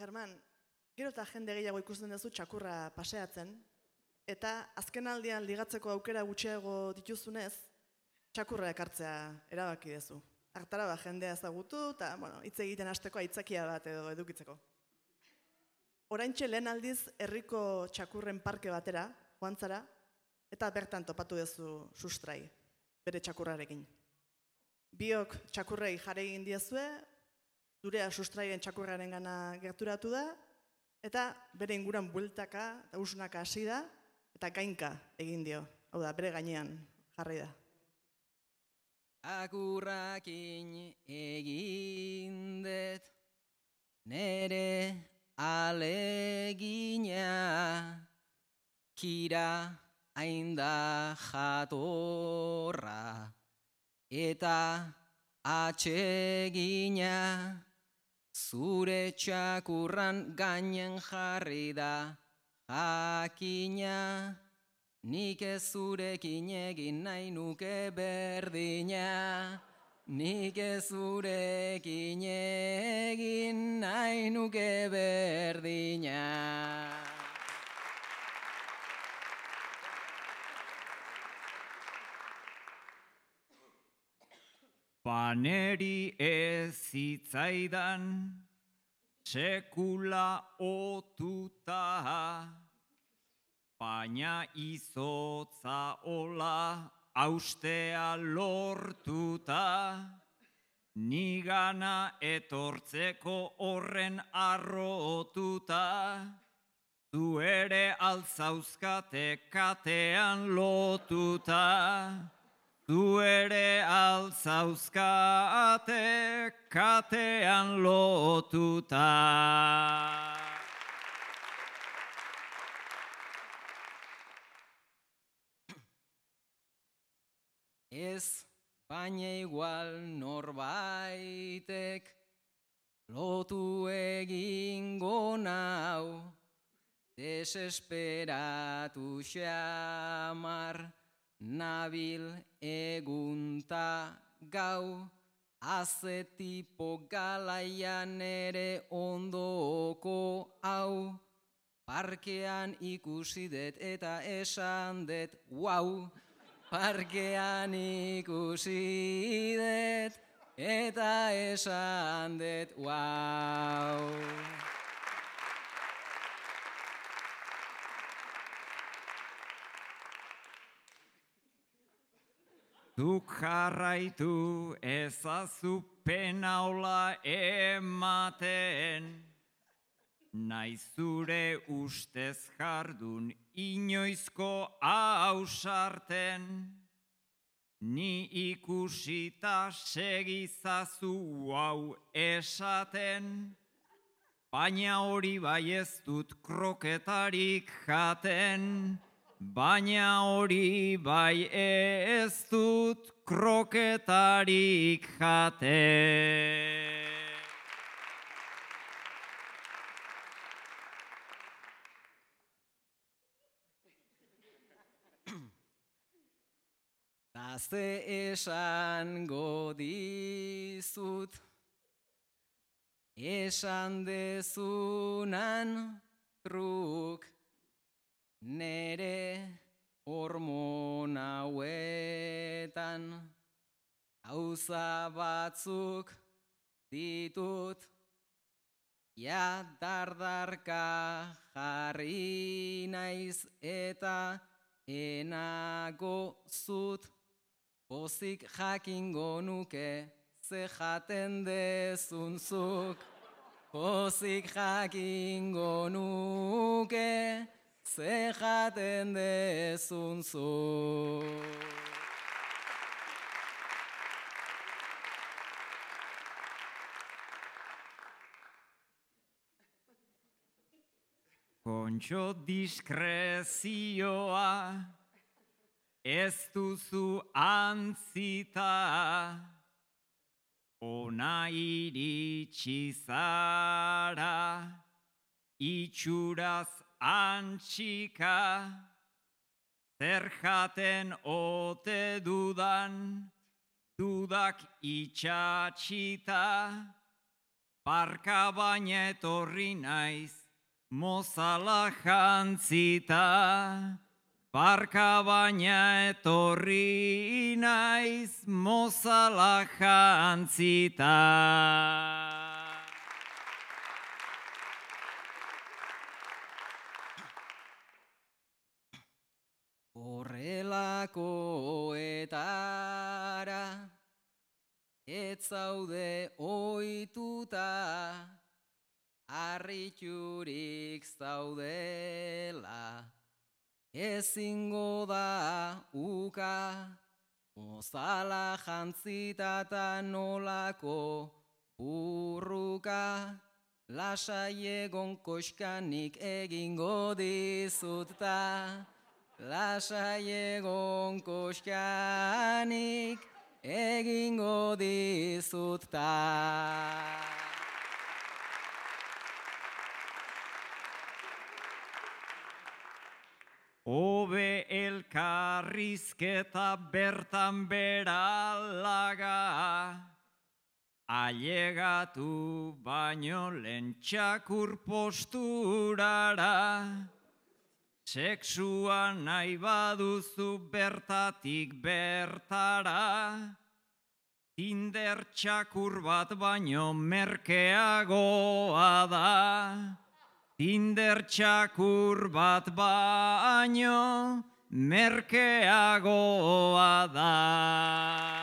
German, gero eta jende gehiago ikusten duzu txakurra paseatzen, eta azken aldian ligatzeko aukera gutxiago dituzunez, txakurra ekartzea erabaki duzu. Hartara jendea ezagutu eta hitz egiten hasteko aitzakia bat edo edukitzeko. Oraintxe lehen aldiz herriko txakurren parke batera, joan zara, eta bertan topatu duzu sustrai, bere txakurrarekin. Biok txakurrei jarri egin diezue, zurea sustraien txakurraren gana gerturatu da, eta bere inguran bueltaka eta usnaka hasi da, eta gainka egin dio. Hau da, bere gainean jarri da. Txakurrakin egin dut nere alegina, kira ainda jatorra eta atsegina, zure txakurran gainen jarri da jakina, nik ez zurekin egin nahi nuke berdina, nik ez zurekin egin nahi nuke berdina. Baneri ez zitzaidan sekula otuta, baina izotza ola austea lortuta, nigana etortzeko horren arrotuta, zu ere altzauzkate katean lotuta, zu ere altzauzkate katean lotuta. Ez baina igual norbaitek lotu egingo nau, desesperatu xamar nabil egunta gau, azetipo galaian ere ondoko hau, parkean ikusi dut eta esan dut wow, parkean ikusi dut eta esan dut wow. Zuk jarraitu ezazu penaola ematen, nahi zure ustez jardun inoizko ausarten, ni ikusita segizazu hau esaten, baina hori bai ez dut kroketarik jaten, baina hori bai ez dut kroketarik jaten. Ze esango dizut, esan dezunan truk, nere hormon hauetan, gauza batzuk ditut, ja dardarka jarri naiz eta enago zut, pozik jakingo nuke ze jaten dezun zuk, pozik jakingo nuke ze jaten dezun zuk. Kontxo diskrezioa ez duzu antzita, ona iritsi zara, itxuraz antxika, zer jaten ote dudan, dudak itxatxita, Barka baina etorri naiz, mozala jantzita. Barka baina etorri naiz, mozala jantzita. Horrelakoetara ez zaude ohituta, harriturik zaudela, ezingo da uka, mozala jantzita ta nolako burruka, lasai egon koxkanik egingo dizut ta. Lasai egon koxkanik egingo dizut ta. Hobe elkarrizketa bertan beralaga, ailegatu baino lehen txakur posturara. Sexua nahi baduzu bertatik bertara, Tinder txakur bat baino merkeagoa da. Tinder txakur bat baino merkeagoa da.